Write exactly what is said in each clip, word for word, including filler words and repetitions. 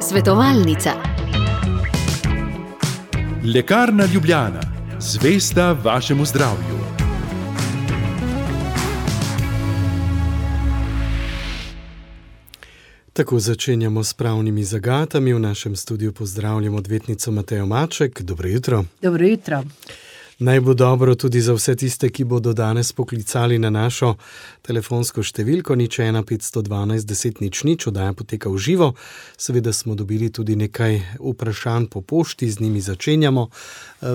Svetovalnica. Lekarna Ljubljana, zvesta vašemu zdravju. Tako začenjamo s pravnimi zagatami. V našem studiu pozdravljam odvetnico Matejo Maček. Dobro jutro. Dobro jutro. Naj bo dobro tudi za vse tiste, ki bodo danes poklicali na našo telefonsko številko nič ena petsto dvanajst deset nič nič, oddaja poteka v živo. Seveda smo dobili tudi nekaj vprašanj po pošti, z njimi začenjamo.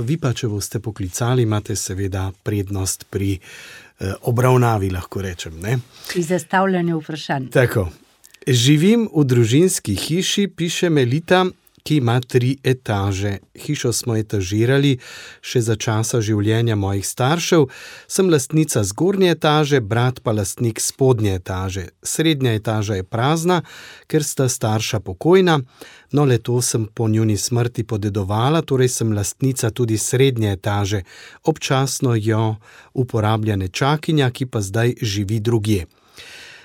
Vi pa, če boste poklicali, imate seveda prednost pri obravnavi, lahko rečem, ne? Pri zastavljanju vprašanj. Tako. Živim v družinski hiši, piše Melita, ki ima tri etaže. Hišo smo etažirali še za časa življenja mojih staršev. Sem lastnica zgornje etaže, brat pa lastnik spodnje etaže. Srednja etaža je prazna, ker sta starša pokojna, no le to sem po njuni smrti podedovala, torej sem lastnica tudi srednje etaže. Občasno jo uporablja nečakinja, ki pa zdaj živi drugje.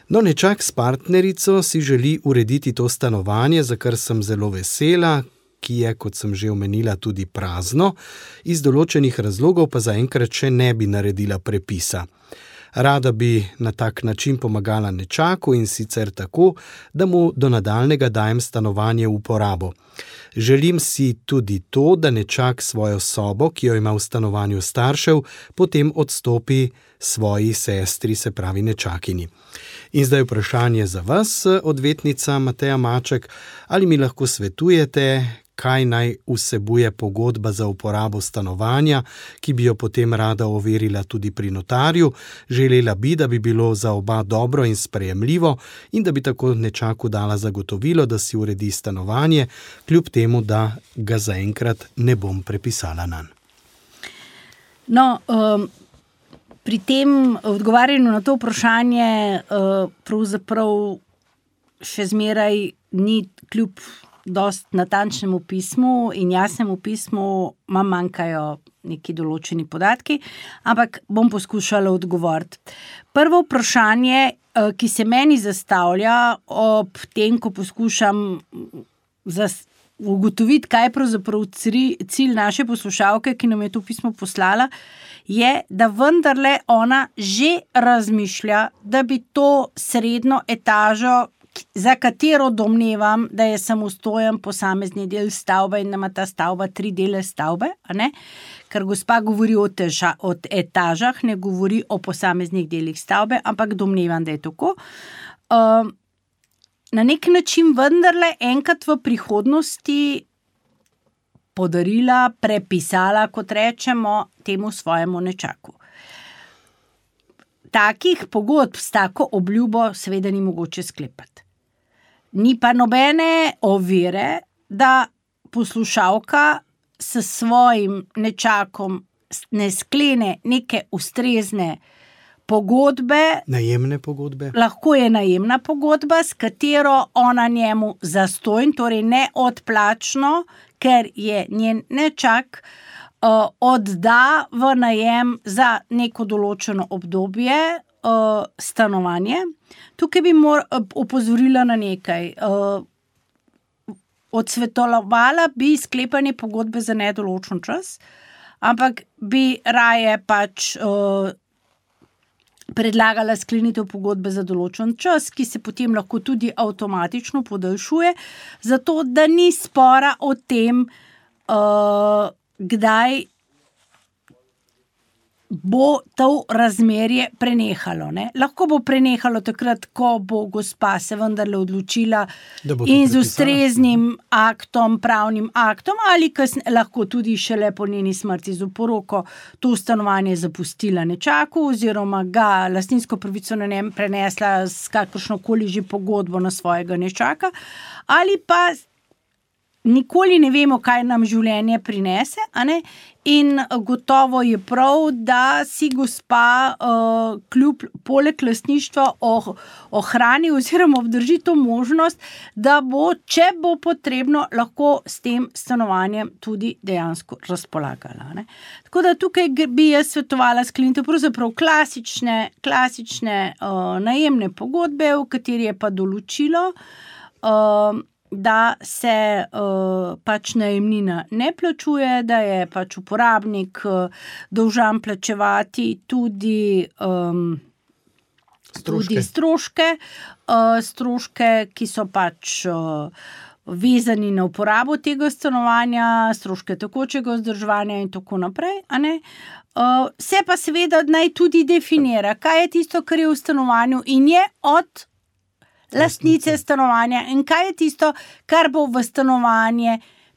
No, nečak s partnerico si želi urediti to stanovanje, za kar sem zelo vesela, ki je, kot sem že omenila, tudi prazno, iz določenih razlogov pa zaenkrat še ne bi naredila prepisa. Rada bi na tak način pomagala nečaku in sicer tako, da mu do nadaljnega dajem stanovanje v uporabo. Želim si tudi to, da nečak svojo sobo, ki jo ima v stanovanju staršev, potem odstopi svoji sestri, se pravi nečakini. In zdaj vprašanje za vas, odvetnica Mateja Maček, ali mi lahko svetujete, kaj naj vsebuje pogodba za uporabo stanovanja, ki bi jo potem rada overila tudi pri notarju. Želela bi, da bi bilo za oba dobro in sprejemljivo in da bi tako nečaku dala zagotovilo, da si uredi stanovanje, kljub temu, da ga zaenkrat ne bom prepisala nanj. No, um, pri tem odgovarjanju na to vprašanje uh, pravzaprav še zmeraj ni kljub dost natančnemu pismu in jasnemu pismu, mam manjkajo neki določeni podatki, ampak bom poskušala odgovoriti. Prvo vprašanje, ki se meni zastavlja ob tem, ko poskušam zas, ugotoviti, kaj je pravzaprav cilj naše poslušalke, ki nam je to pismo poslala, je, da vendarle ona že razmišlja, da bi to srednjo etažo, za katero domnevam, da je samostojen posamezni del stavbe in da ima ta stavba tri dele stavbe, a ne? Ker gospa govori o, teža, o etažah, ne govori o posameznih delih stavbe, ampak domnevam, da je tako. Uh, na nek način vendarle enkrat v prihodnosti podarila, prepisala, kot rečemo, temu svojemu nečaku. Takih pogodb s tako obljubo seveda ni mogoče sklepati. Ni pa nobene ovire, da poslušalka s svojim nečakom ne sklene neke ustrezne pogodbe. Najemne pogodbe. Lahko je najemna pogodba, s katero ona njemu zastojn, torej neodplačno, ker je njen nečak uh, odda v najem za neko določeno obdobje uh, stanovanje. Tukaj bi mor, opozorila na nekaj. Uh, odsvetovala bi sklepanje pogodbe za nedoločen čas, ampak bi raje pač uh, predlagala sklenitev pogodbe za določen čas, ki se potem lahko tudi avtomatično podaljšuje, zato da ni spora o tem, uh, kdaj bo to razmerje prenehalo. Ne? Lahko bo prenehalo takrat, ko bo gospa se vendarle odločila in z ustreznim aktom, pravnim aktom, ali kasne, lahko tudi šele po njeni smrti z oporoko to stanovanje zapustila nečaku oziroma ga lastninsko pravico na njem prenesla s kakršnokoli že pogodbo na svojega nečaka, ali pa nikoli ne vemo, kaj nam življenje prinese, a ne? In gotovo je prav, da si gospa uh, kljub poleg lastništva oh, ohrani oziroma obdrži to možnost, da bo, če bo potrebno, lahko s tem stanovanjem tudi dejansko razpolagala. Ne? Tako da tukaj bi jaz svetovala sklenitev pravzaprav klasične, klasične uh, najemne pogodbe, v kateri je pa določilo, uh, da se uh, pač najemnina ne plačuje, da je pač uporabnik uh, dolžan plačevati tudi, um, Stroške. tudi stroške, uh, stroške, ki so pač uh, vezani na uporabo tega stanovanja, stroške tekočega vzdrževanja in tako naprej, a ne? Uh, se pa seveda naj tudi definira, kaj je tisto, kar je v stanovanju in je od lastnice stanovanja in kaj je tisto, kar bo v stanovanje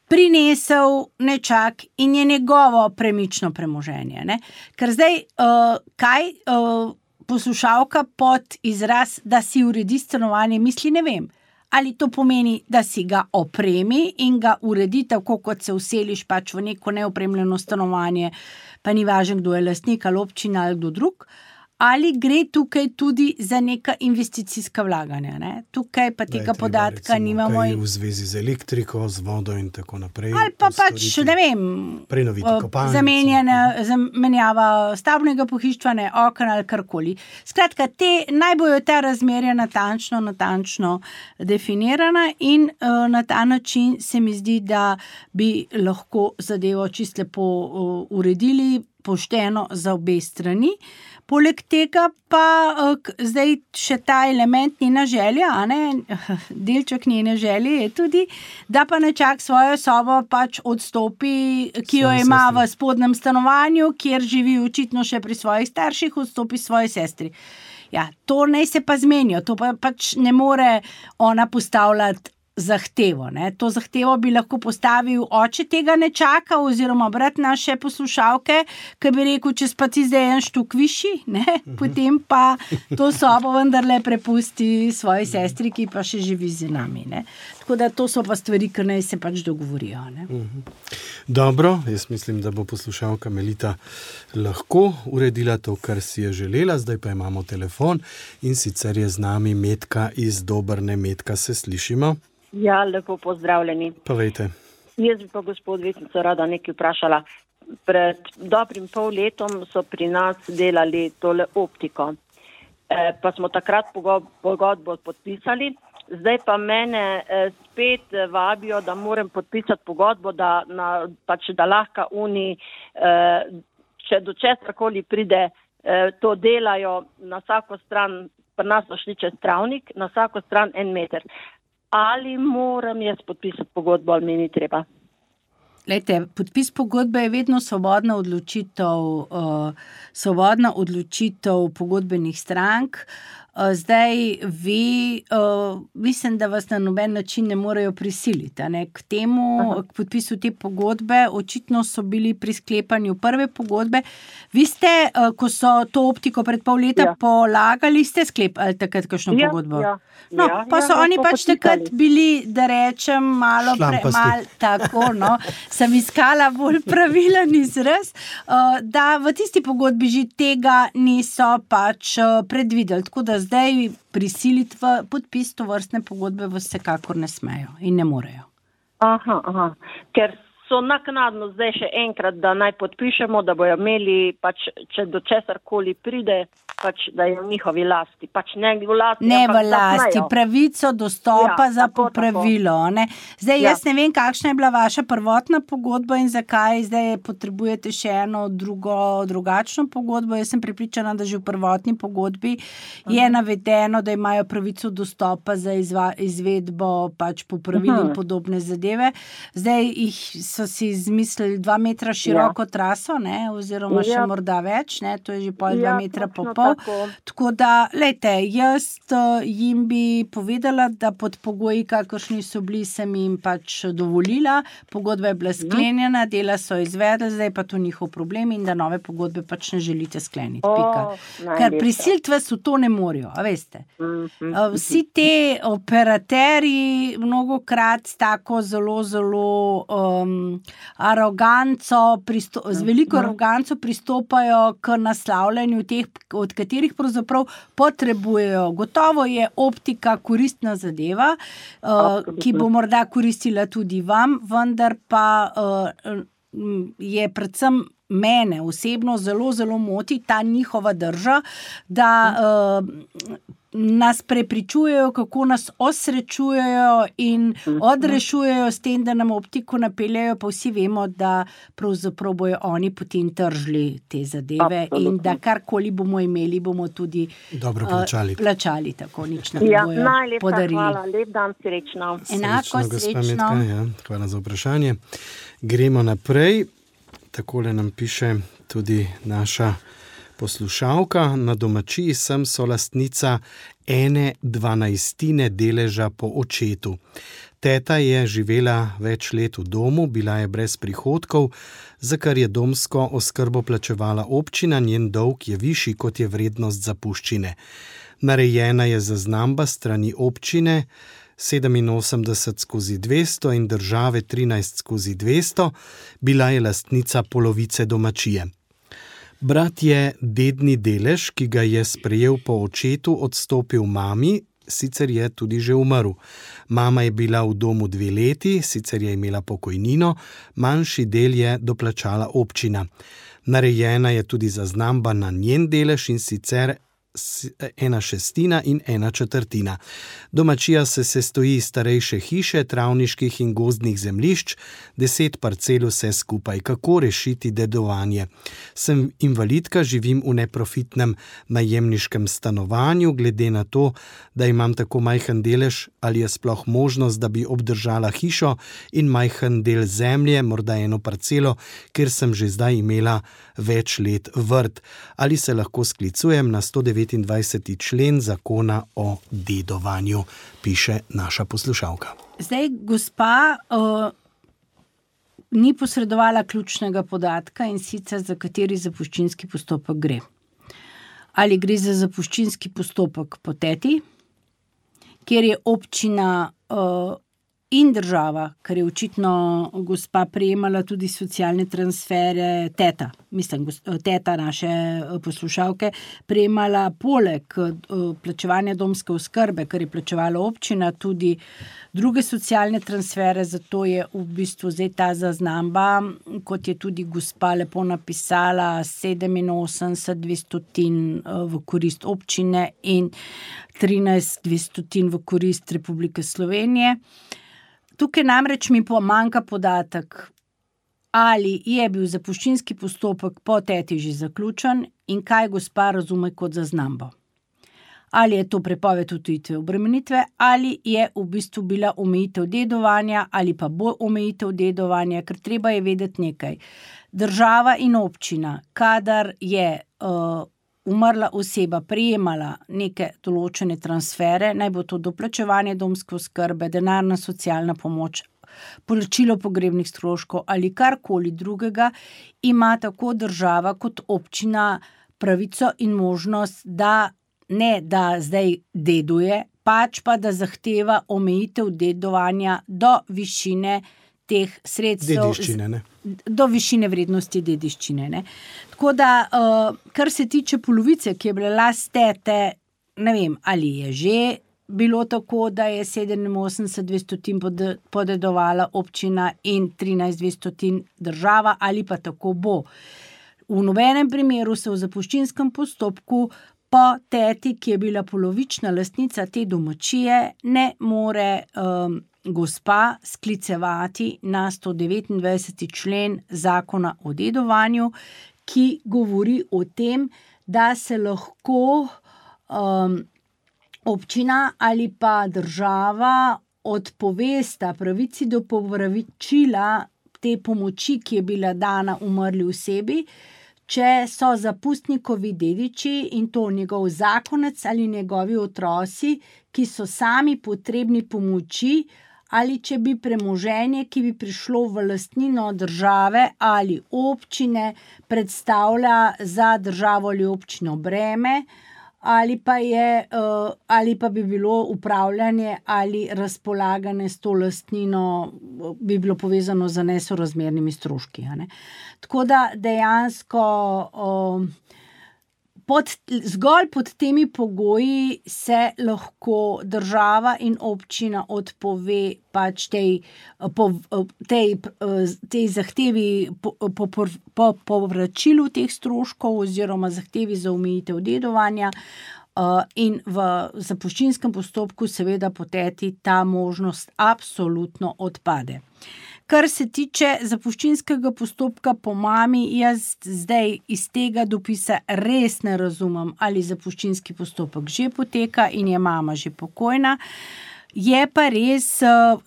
prinesel nečak in je njegovo premično premoženje. Ne? Ker zdaj, uh, kaj uh, poslušalka pod izraz, da si uredi stanovanje, misli, ne vem. Ali to pomeni, da si ga opremi in ga uredi tako, kot se vseliš pač v neko neopremljeno stanovanje, pa ni važno, kdo je lastnik ali občina ali kdo drug, ali gre tukaj tudi za neka investicijska vlaganja. Ne? Tukaj pa tega podatka recimo, nimamo. Kaj v zvezi z elektriko, z vodo in tako naprej. Ali pa pač, ne vem, prenoviti kopalnico. Zamenjena, zamenjava stavbnega pohištva, ne, okna ali karkoli. Skratka, te, naj bojo ta razmerja natančno, natančno definirana in uh, na ta način se mi zdi, da bi lahko zadevo čisto lepo uh, uredili, pošteno za obe strani. Poleg tega pa uh, zdaj še ta element njena želja, a ne, delček njene želje je tudi, da pa nečak svojo sobo pač odstopi, ki jo ima v spodnjem stanovanju, kjer živi očitno še pri svojih starših, odstopi svoji sestri. Ja, to naj se pa zmenijo, to pa pač ne more ona postavljati zahtevo. Ne? To zahtevo bi lahko postavil oče tega nečaka oziroma brat naše poslušalke, ki bi rekel, če pa ti zdaj en štuk višji, ne? Potem pa to sobo vendarle prepusti svoji sestri, ki pa še živi z nami. Ne? Tako da to so pa stvari, ki naj se pač dogovorijo. Ne? Dobro, jaz mislim, da bo poslušalka Melita lahko uredila to, kar si je želela. Zdaj pa imamo telefon in sicer je z nami Metka iz Dobrne. Metka, se slišimo? Ja, lepo pozdravljeni. Povejte. Jaz bi pa gospod Vetnico rada nekaj vprašala. Pred dobrim pol letom so pri nas delali tole optiko. E, pa smo takrat pogodbo podpisali. Zdaj pa mene e, spet vabijo, da moram podpisati pogodbo, da, na, pač, da lahko oni, e, če do česarkoli pride, e, to delajo na vsako stran, pri nas so šli čez travnik, na vsako stran en meter. Ali moram jaz podpisati pogodbo, ali mi ni treba? Lejte, podpis pogodbe je vedno svobodna odločitev, uh, svobodna odločitev pogodbenih strank. Uh, zdaj vi, uh, mislim, da vas na noben način ne morejo prisiliti. Ne? K temu, Aha. k podpisu te pogodbe, očitno so bili pri sklepanju prve pogodbe. Vi ste, uh, ko so to optiko pred pol leta ja. polagali, ste sklepali takrat kakšno ja, pogodbo? Ja. No, ja, pa so ja, oni pač takrat bili, da rečem, malo premal, tako, no, sem iskala bolj pravilen izraz, uh, da v tisti pogodbi že tega niso pač uh, predvideli, tako da zdaj prisiliti v podpis tovrstne pogodbe vsekakor ne smejo in ne morejo. Aha, aha, ker so naknadno zdaj še enkrat, da naj podpišemo, da bojo imeli, pač, če do česarkoli pride, pač, da je v njihovi lasti. Pač ne v lasti, ne v lasti, pravico dostopa ja, za tako, popravilo. Ne? Zdaj, ja. jaz ne vem, kakšna je bila vaša prvotna pogodba in zakaj zdaj potrebujete še eno drugo, drugačno pogodbo. Jaz sem prepričana, da že v prvotni pogodbi uh-huh. je navedeno, da imajo pravico dostopa za izva, izvedbo pač popravil uh-huh. in podobne zadeve. Zdaj jih so si izmislili dva metra široko ja. traso, ne, oziroma ja. še morda več, ne, to je že pol dva ja, metra po pol. tako. Tako da, lejte, jaz jim bi povedala, da pod pogoji, kakršni so bili, sem jim pač dovolila, pogodba je bila sklenjena, dela so izvedli, zdaj pa to njihov problem in da nove pogodbe pač ne želite skleniti. O, Ker prisiliti vas v to ne morajo, a veste. Vsi te operaterji mnogokrat s tako zelo, zelo um, aroganco, pristo, z veliko aroganco pristopajo k naslavljanju teh, od katerih pravzaprav potrebujejo. Gotovo je optika koristna zadeva, uh, ki bo morda koristila tudi vam, vendar pa uh, je predvsem mene osebno zelo, zelo moti ta njihova drža, da uh, nas prepričujejo, kako nas osrečujejo in odrešujejo s tem, da nam optiko napeljajo, pa vsi vemo, da pravzaprav bojo oni potem tržili te zadeve. Absolutno. In da karkoli bomo imeli, bomo tudi dobro plačali. Uh, plačali tako, nič nam ja, bojo najlepša podarili. Hvala, lep dan, srečno. Enako, srečno. srečno. Metka, ja, hvala za vprašanje. Gremo naprej. Takole nam piše tudi naša poslušalka. Na domačiji sem solastnica ene dvanajstine deleža po očetu. Teta je živela več let v domu, bila je brez prihodkov, za kar je domsko oskrbo plačevala občina, njen dolg je višji, kot je vrednost zapuščine. Narejena je zaznamba strani občine sedeminosemdeset skozi dvesto in države trinajst skozi dvesto, bila je lastnica polovice domačije. Brat je dedni delež, ki ga je sprejel po očetu, odstopil mami, sicer je tudi že umrl. Mama je bila v domu dve leti, sicer je imela pokojnino, manjši del je doplačala občina. Narejena je tudi zaznamba na njen delež in sicer ena šestina in ena četrtina. Domačija se sestoji iz starejše hiše, travniških in gozdnih zemljišč, deset parcel vse skupaj. Kako rešiti dedovanje? Sem invalidka, živim v neprofitnem najemniškem stanovanju, glede na to, da imam tako majhen delež, ali je sploh možnost, da bi obdržala hišo in majhen del zemlje, morda eno parcelo, ker sem že zdaj imela več let vrt. Ali se lahko sklicujem na sto devetindvajseti člen zakona o dedovanju, piše naša poslušalka. Zdaj, gospa uh, ni posredovala ključnega podatka, in sicer za kateri zapuščinski postopek gre. Ali gre za zapuščinski postopek po teti, kjer je občina uh, in država, ker je očitno gospa prejemala tudi socialne transfere, teta, mislim, teta naše poslušalke, prejemala poleg plačevanja domske oskrbe, ker je plačevala občina, tudi druge socialne transfere, zato je v bistvu zdaj ta zaznamba, kot je tudi gospa lepo napisala, sedeminosemdeset dvestotin v korist občine in trinajst dvestotin v korist Republike Slovenije. Tukaj namreč mi pomanjka podatek, ali je bil zapuščinski postopek po teti že zaključen in kaj gospa razume kot zaznambo. Ali je to prepoved odtujitve obremenitve, ali je v bistvu bila omejitev dedovanja, ali pa bo omejitev dedovanja, ker treba je vedeti nekaj. Država in občina, kadar je uh, umrla oseba prejemala neke določene transfere, naj bo to doplačevanje domske oskrbe, denarna socialna pomoč, plačilo pogrebnih stroškov ali karkoli drugega, ima tako država kot občina pravico in možnost, da ne da zdaj deduje, pač pa da zahteva omejitev dedovanja do višine teh sredstev. Dediščine, ne? Do višine vrednosti dediščine. Ne? Tako da, uh, kar se tiče polovice, ki je bila last tete, ne vem, ali je že bilo tako, da je sedeminosemdeset dvestotin podedovala občina in trinajst dvestotin država, ali pa tako bo. V nobenem primeru se v zapuščinskem postopku po teti, ki je bila polovična lastnica te domačije, ne more um, gospa sklicevati na sto devetindvajseti člen zakona o dedovanju, ki govori o tem, da se lahko um, občina ali pa država odpovesta pravici do povračila te pomoči, ki je bila dana umrli osebi, če so zapustnikovi dediči in to njegov zakonec ali njegovi otroci, ki so sami potrebni pomoči, ali če bi premoženje, ki bi prišlo v lastnino države ali občine, predstavlja za državo ali občino breme, ali pa, je, ali pa bi bilo upravljanje ali razpolaganje s to lastnino bi bilo povezano z nesorazmernimi stroški. Ne? Tako da dejansko pod, zgolj pod temi pogoji se lahko država in občina odpove pač tej, po, tej, tej zahtevi po, po, po povračilu teh stroškov oziroma zahtevi za omejitev dedovanja uh, in v zapuščinskem postopku seveda poteti ta možnost absolutno odpade. Kar se tiče zapuščinskega postopka po mami, jaz zdaj iz tega dopisa res ne razumem, ali zapuščinski postopek že poteka in je mama že pokojna. Je pa res,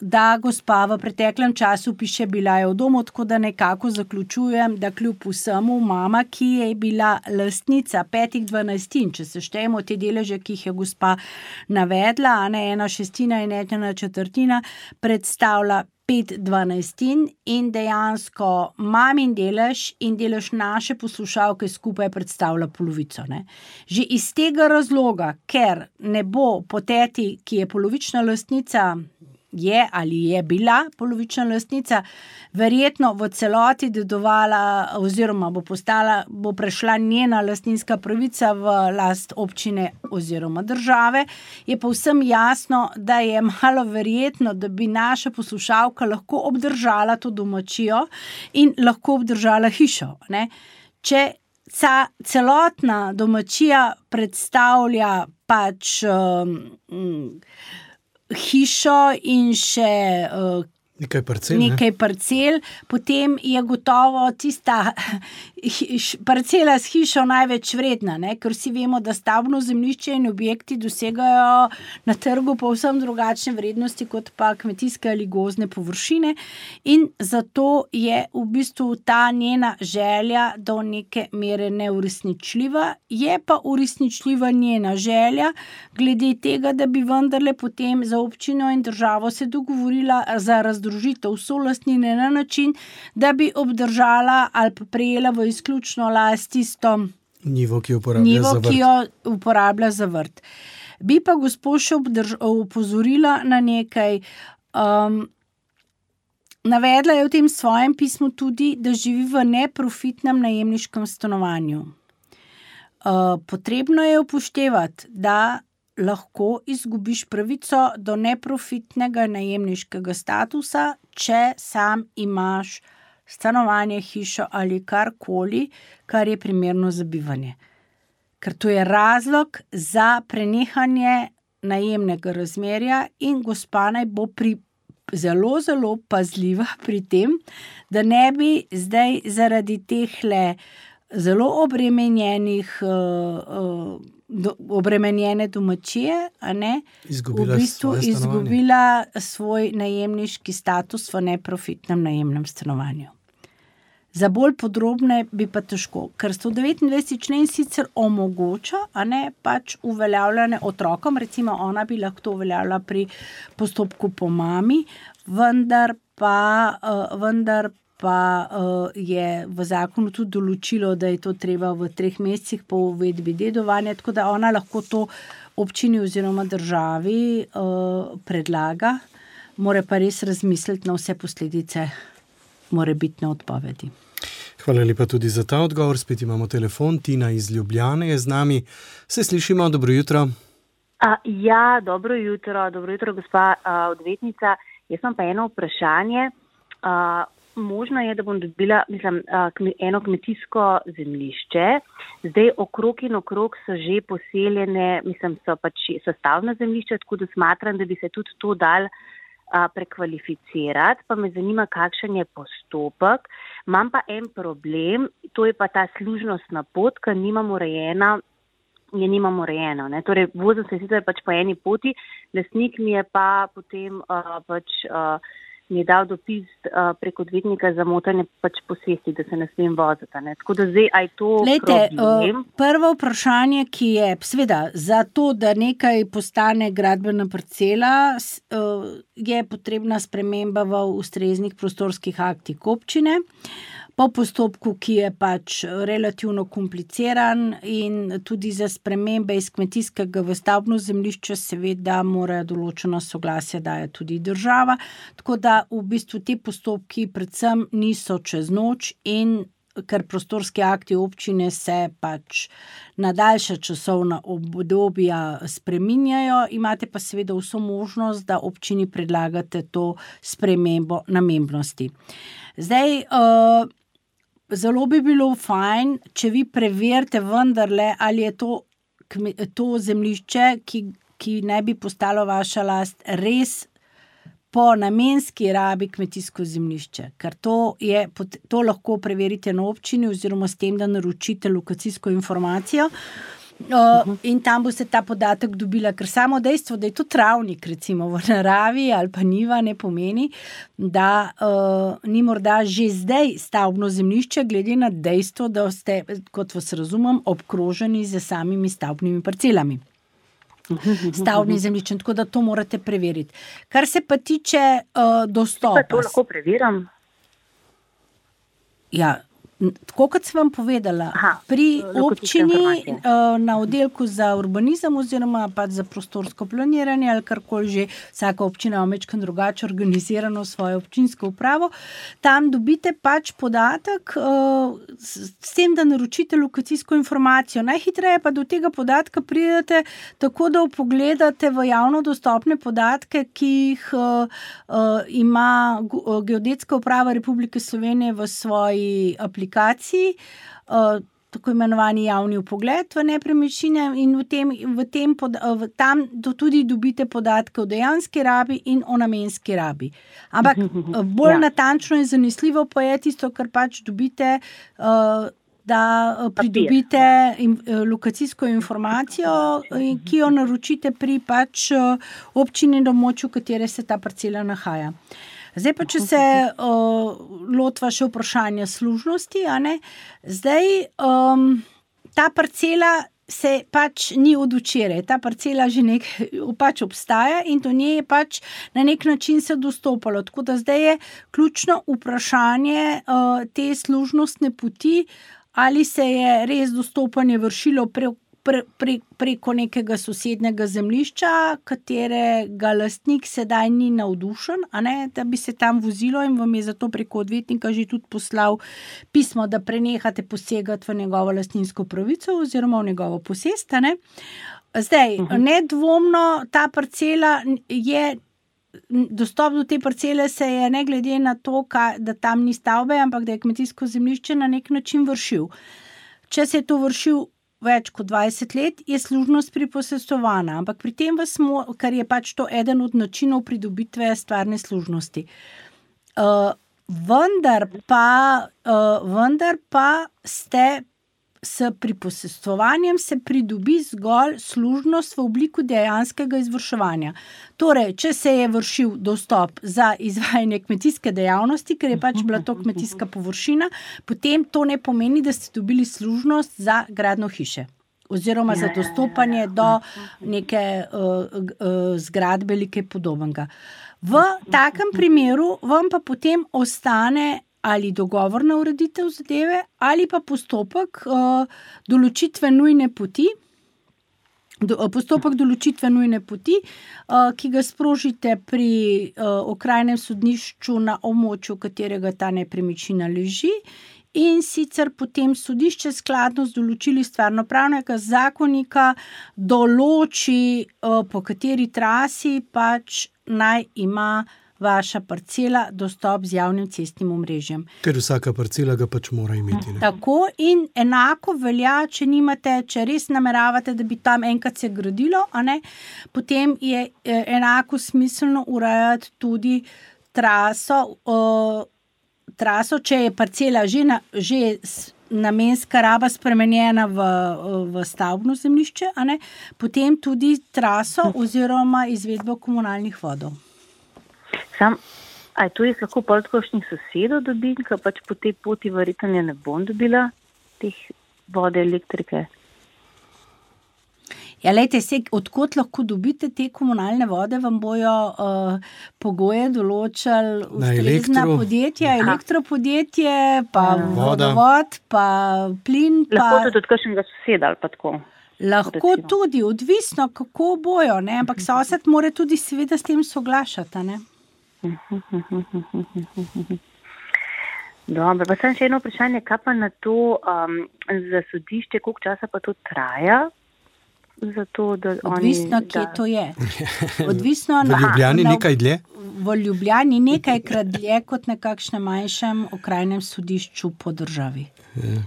da gospa v preteklem času piše, bila je v domu, tako da nekako zaključujem, da kljub vsemu mama, ki je bila lastnica petih dvanajstin, če se štejemo te deleže, ki jih je gospa navedla, a ne ena šestina in ena četrtina, predstavlja pet dvanajstin in dejansko mamin delež in delež naše poslušalke skupaj predstavlja polovico. Ne? Že iz tega razloga, ker ne bo poteti, ki je polovična lastnica, je ali je bila polovična lastnica, verjetno v celoti dedovala oziroma bo postala, bo prešla njena lastninska pravica v last občine oziroma države, je povsem jasno, da je malo verjetno, da bi naša poslušalka lahko obdržala to domačijo in lahko obdržala hišo. Ne? Če ca, celotna domačija predstavlja pač um, hišo in še uh, nekaj parcel, nekaj ne? parcel, potem je gotovo tista hiš, parcela s hišo največ vredna, ne? Ker vsi vemo, da stavbno zemljišče in objekti dosegajo na trgu povsem drugačne vrednosti kot pa kmetijske ali gozdne površine in zato je v bistvu ta njena želja do neke mere neuresničljiva, je pa uresničljiva njena želja glede tega, da bi vendarle potem za občino in državo se dogovorila za razdružitev solastnine na način, da bi obdržala ali pa prejela v izključno last tisto njivo, ki jo uporablja, njivo, za, vrt. Ki jo uporablja za vrt. Bi pa gospod še upozorila na nekaj. Um, navedla je v tem svojem pismu tudi, da živi v neprofitnem najemniškem stanovanju. Uh, potrebno je upoštevati, da lahko izgubiš pravico do neprofitnega najemniškega statusa, če sam imaš stanovanje, hišo ali karkoli, kar je primerno za bivanje. Ker to je razlog za prenehanje najemnega razmerja in gospa naj bo pri, zelo, zelo pazljiva pri tem, da ne bi zdaj zaradi tehle zelo obremenjenih uh, uh, Do, obremenjene domačije, a ne, izgubila v bistvu izgubila svoj najemniški status v neprofitnem najemnem stanovanju. Za bolj podrobne bi pa težko, ker sto devetindvajseti člen sicer omogoča, a ne, pač uveljavljanje otrokom, recimo ona bi lahko to uveljavila pri postopku po mami, vendar pa, uh, vendar pa uh, je v zakonu tudi določilo, da je to treba v treh mesecih po uvedbi dedovanja, tako da ona lahko to občini oziroma državi uh, predlaga, mora pa res razmisliti na vse posledice morebitne odpovedi. Hvala lepa tudi za ta odgovor. Spet imamo telefon. Tina iz Ljubljane je z nami. Se slišimo, dobro jutro. A, ja, dobro jutro, dobro jutro, gospa uh, odvetnica. Jaz imam pa eno vprašanje. Uh, Možno je, da bom dobila mislim, eno kmetijsko zemljišče. Zdaj okrog in okrog so že poseljene, mislim, so pač sestavna zemljišča, tako da smatram, da bi se tudi to dal a, prekvalificirati. Pa me zanima, kakšen je postopek. Imam pa en problem, to je pa ta služnostna pot, ker nimam urejena, je nimam urejeno. Ne? Torej, vozim se sicer pač po eni poti, lastnik mi je pa potem a, pač... A, mi je dal dopis uh, prek odvetnika za motanje pač posesti, da se ne smem voziti. Ne? Tako da zdaj, aj to Lejte, problem? Uh, prvo vprašanje, ki je, seveda, za to, da nekaj postane gradbena parcela, uh, je potrebna sprememba v ustreznih prostorskih aktih občine. Po postopku, ki je pač relativno kompliciran in tudi za spremembe iz kmetijskega v stavbno zemljišče seveda mora določeno soglasje daje tudi država, tako da v bistvu te postopki predvsem niso čez noč in ker prostorski akti občine se pač na daljša časovna obdobja spreminjajo, imate pa seveda vso možnost, da občini predlagate to spremembo namembnosti. Zdaj, uh, Zelo bi bilo fajn, če vi preverite vendarle, ali je to, to zemljišče, ki, ki ne bi postalo vaša last, res po namenski rabi kmetijsko zemljišče. Ker to, je, to lahko preverite na občini oziroma s tem, da naročite lokacijsko informacijo. Uh, in tam boste ta podatek dobila, ker samo dejstvo, da je to travnik recimo v naravi ali pa njiva, ne pomeni, da uh, ni morda že zdaj stavbno zemljišče, glede na dejstvo, da ste, kot vas razumem, obkroženi z samimi stavbnimi parcelami. Stavbni zemljišče, tako da to morate preveriti. Kar se pa tiče uh, dostopa. Pa to lahko preverim? Ja, tako kot sem vam povedala, Aha, pri občini na oddelku za urbanizem oziroma pa za prostorsko planiranje ali karkoli že, vsaka občina ima majčkeno drugače organizirano svojo občinsko upravo, tam dobite pač podatek s tem, da naročite lokacijsko informacijo. Najhitreje pa do tega podatka pridete tako, da vpogledate v javno dostopne podatke, ki jih ima Geodetska uprava Republike Slovenije v svoji aplikaciji, tako imenovani javni vpogled v nepremičnine in v tem, v tem pod, v, tam do, tudi dobite podatke o dejanski rabi in o namenski rabi. Ampak bolj ja. natančno in zanesljivo pa je tisto, kar pač dobite, da pridobite lokacijsko informacijo, ki jo naročite pri pač občini na območju, v katere se ta parcela nahaja. Zdaj pa, če se uh, lotva še vprašanja služnosti, a ne, zdaj um, ta parcela se pač ni od včeraj, ta parcela že nek, pač obstaja in do nje je pač na nek način se dostopalo. Tako da zdaj je ključno vprašanje uh, te služnostne poti, ali se je res dostopanje vršilo pre, pre, pre, preko nekega sosednjega zemljišča, katerega lastnik sedaj ni navdušen, a ne, da bi se tam vozilo in vam je zato preko odvetnika že tudi poslal pismo, da prenehate posegati v njegovo lastninsko pravico oziroma v njegovo posest, a ne. Zdaj, uh-huh. nedvomno ta parcela je, dostop do te parcele se je ne glede na to, ka, da tam ni stavbe, ampak da je kmetijsko zemljišče na nek način vršil. Če se je to vršil več kot dvajset let, je služnost priposestovana, ampak pri tem vas mo, kar je pač to eden od načinov pridobitve stvarne služnosti. Uh, vendar pa, uh, vendar pa ste s priposestovanjem se pridobi zgolj služnost v obliku dejanskega izvrševanja. Torej, če se je vršil dostop za izvajanje kmetijske dejavnosti, ker je pač bila to kmetijska površina, potem to ne pomeni, da ste dobili služnost za gradnjo hiše oziroma za dostopanje do neke uh, uh, zgradbe ali kaj podobnega. V takem primeru vam pa potem ostane ali dogovorna ureditev zadeve, ali pa postopek uh, določitve nujne poti, do, postopek določitve nujne poti, uh, ki ga sprožite pri uh, okrajnem sodnišču na območju, katerega ta nepremičnina leži, in sicer potem sodišče skladno z določili stvarnopravnega zakonika določi, uh, po kateri trasi pač naj ima vaša parcela dostop z javnim cestnim omrežjem. Ker vsaka parcela ga pač mora imeti. Ne? Tako in enako velja, če nimate, če res nameravate, da bi tam enkrat se gradilo, a ne, potem je enako smiselno urejati tudi traso, uh, traso, če je parcela že, na, že namenska raba spremenjena v, v stavbno zemljišče, a ne, potem tudi traso oziroma izvedbo komunalnih vodov. Sam, A je to jaz lahko pol kakšnih sosedov dobim, ker pač po tej poti verjetno ne bom dobila teh vode, elektrike? Ja, lejte, se, odkot lahko dobite te komunalne vode, vam bojo uh, pogoje določali ustrezna podjetja, elektropodjetje, pa Voda. vodovod, pa plin. Pa... Lahko tudi od kakšnega soseda ali pa tako. Lahko recimo. Tudi, odvisno kako bojo, ne? Ampak sosed mora tudi seveda s tem soglašati, ne? Dobro, pa sem še eno vprašanje, kaj pa na to um, za sodišče, koliko časa pa to traja? Zato, da odvisno, oni, kje da... to je. Odvisno, v Ljubljani na, nekaj dlje? V Ljubljani nekajkrat dlje kot na kakšnem manjšem okrajnem sodišču po državi. Je.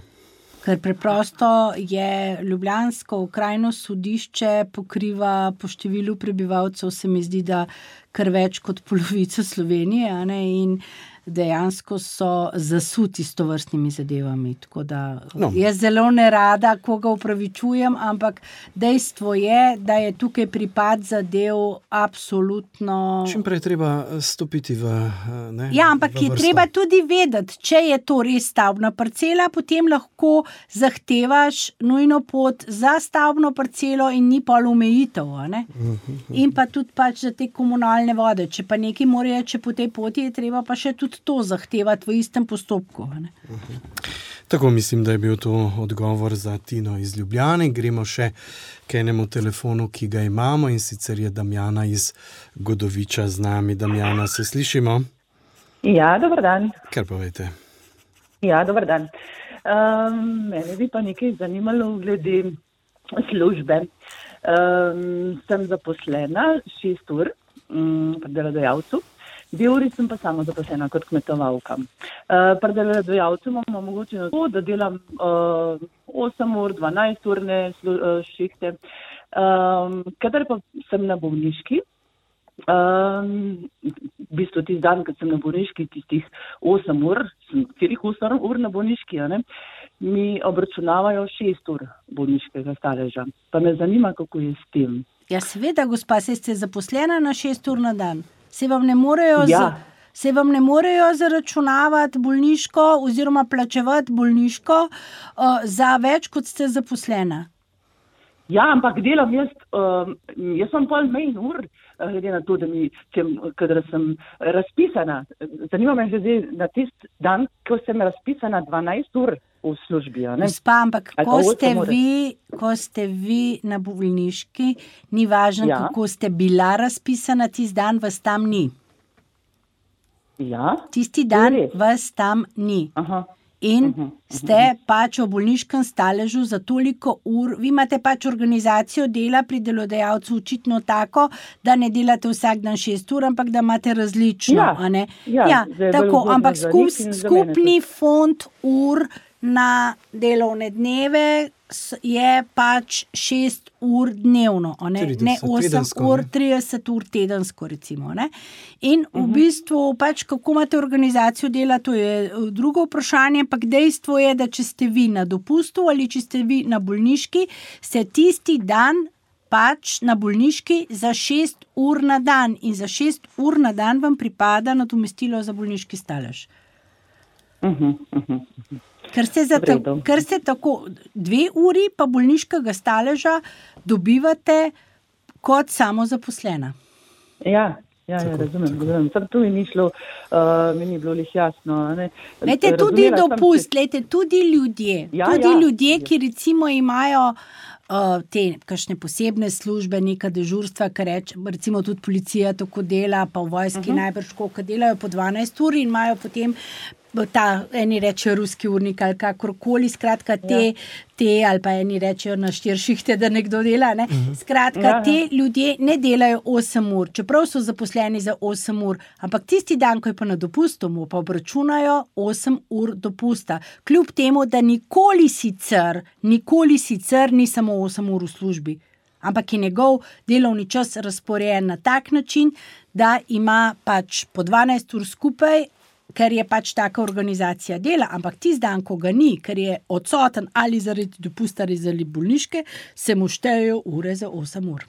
Ker preprosto je ljubljansko okrajno sodišče pokriva po številu prebivalcev, se mi zdi, da kar več kot polovico Slovenije, a ne, in dejansko so zasuti s tovrstnimi zadevami. Tako da no. Jaz zelo nerada koga upravičujem, ampak dejstvo je, da je tukaj pripad zadev absolutno... Čim prej treba stopiti v ne, Ja, ampak v je vrsto. treba tudi vedeti, če je to res stavbna parcela, potem lahko zahtevaš nujno pot za stavbno parcelo in ni pol omejitev, a ne? In pa tudi pač za te komunalne vode. Če pa nekaj morajo, če po tej poti je treba pa še tudi to zahtevati v istem postopku. Ne? Tako mislim, da je bil to odgovor za Tino iz Ljubljane. Gremo še k enemu telefonu, ki ga imamo, in sicer je Damjana iz Godoviča z nami. Damjana, se slišimo? Ja, dober dan. Kar povejte. Ja, dober dan. Um, mene bi pa nekaj zanimalo glede službe. Um, sem zaposlena šest ur um, pri delodajalcu. Dve uri sem pa samo zaposlena kot kmetovalka. Uh, pri delodajalcu imam omogočeno to, da delam uh, osem ur, dvanajst urne uh, šihte. Um, kadar pa sem na bolniški, um, v bistvu tisti dan, kad sem na bolniški, tistih osem ur, sem celih osem ur na bolniški, ne, mi obračunavajo šest ur bolniškega staleža. Pa me zanima, kako je s tem. Ja, seveda, gospa, se ste zaposlena na šest ur na dan. Se vam ne morejo, Ja. z, se vam ne morejo zaračunavati bolniško oziroma plačevati bolniško uh, za več, kot ste zaposlena. Ja, ampak delam jaz, um, jaz sem pol manj ur, glede na to, da mi, če, kadar sem razpisana. Zanima me že na tisti dan, ko sem razpisana dvanajst ur v službi. A ne? Gospa, ampak Ali pa ko osem ste, ur. vi, ko ste vi na bolniški, ni važno, Ja. kako ste bila razpisana, tisti dan vas tam ni. Ja, Tisti To je dan res. vas tam ni. aha. In ste pač v bolniškem staležu za toliko ur, vi imate pač organizacijo dela pri delodajalcu očitno tako, da ne delate vsak dan šest ur, ampak da imate različno. Ja, a ne? ja, ja zdaj je bolj tako, udobno ampak za skup, njih in za skupni fond ur na delovne dneve s- je pač šest ur dnevno, a ne, trideset ne osem tedensko, ur, ne? trideset ur tedensko recimo. Ne? In v bistvu pač kako imate organizacijo dela, to je eh, drugo vprašanje, ampak dejstvo je, da če ste vi na dopustu ali če ste vi na bolniški, ste tisti dan pač na bolniški za šest ur na dan in za šest ur na dan vam pripada nadomestilo za bolniški stalež. Uh-huh, uh-huh. Ker ste, za ta, V redu. ker ste tako dve uri pa bolniškega staleža dobivate kot samozaposlena. Ja, ja, ja, razumem, razumem. Sam tu mi ni šlo, uh, mi ni bilo lih jasno. a Ne? Lejte, tudi Razumela sem, dopust, lejte, tudi ljudje, Ja, tudi ja. ljudje, ki recimo imajo uh, te kakšne posebne službe, neka dežurstva, kar reč, recimo tudi policija tako dela, pa v vojski uh-huh. najbrž koliko delajo po dvanajst ur in imajo potem ta, eni rečejo ruski urnik ali kakorkoli, skratka te, ja. te ali pa eni rečejo na štiri šihte, da nekdo dela, ne? Skratka, Ja, ja. te ljudje ne delajo osem ur, čeprav so zaposleni za osem ur, ampak tisti dan, ko je pa na dopustu, mu pa obračunajo osem ur dopusta. Kljub temu, da nikoli sicer, nikoli sicer ni samo osem ur v službi, ampak je njegov delovni čas razporejen na tak način, da ima pač po dvanajst ur skupaj, ker je pač taka organizacija dela, ampak tisti dan, ko ga ni, ker je odsoten ali zaradi dopusta ali zaradi bolniške, se mu štejejo ure za osem ur.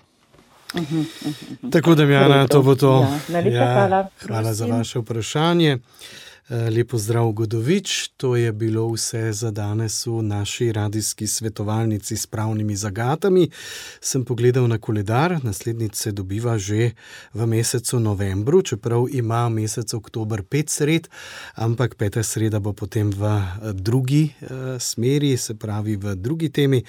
Uh-huh, uh-huh. Tako, Damjana, to bo to. Ja, najlepša hvala. Hvala za vaše vprašanje. Lepo zdrav, Godovič. To je bilo vse za danes v naši radijski svetovalnici s pravnimi zagatami. Sem pogledal na koledar, naslednjič se dobiva že v mesecu novembru, čeprav ima mesec oktober pet sred, ampak peta sreda bo potem v drugi eh, smeri, se pravi v drugi temi.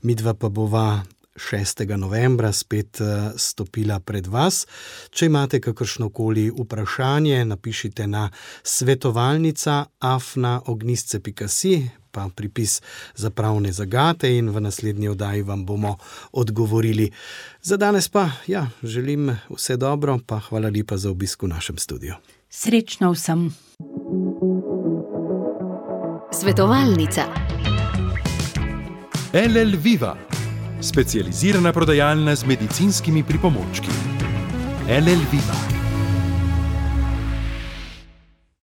Midva pa bova šestega novembra spet stopila pred vas. Če imate kakršnokoli vprašanje, napišite na svetovalnica afna ognjisce pika si, pa pripis za pravne zagate in v naslednji oddaji vam bomo odgovorili. Za danes pa, ja, želim vse dobro, pa hvala lepa za obisk v našem studiu. Srečno vsem. Svetovalnica. L L Viva, specializirana prodajalna z medicinskimi pripomočki. L L Viva.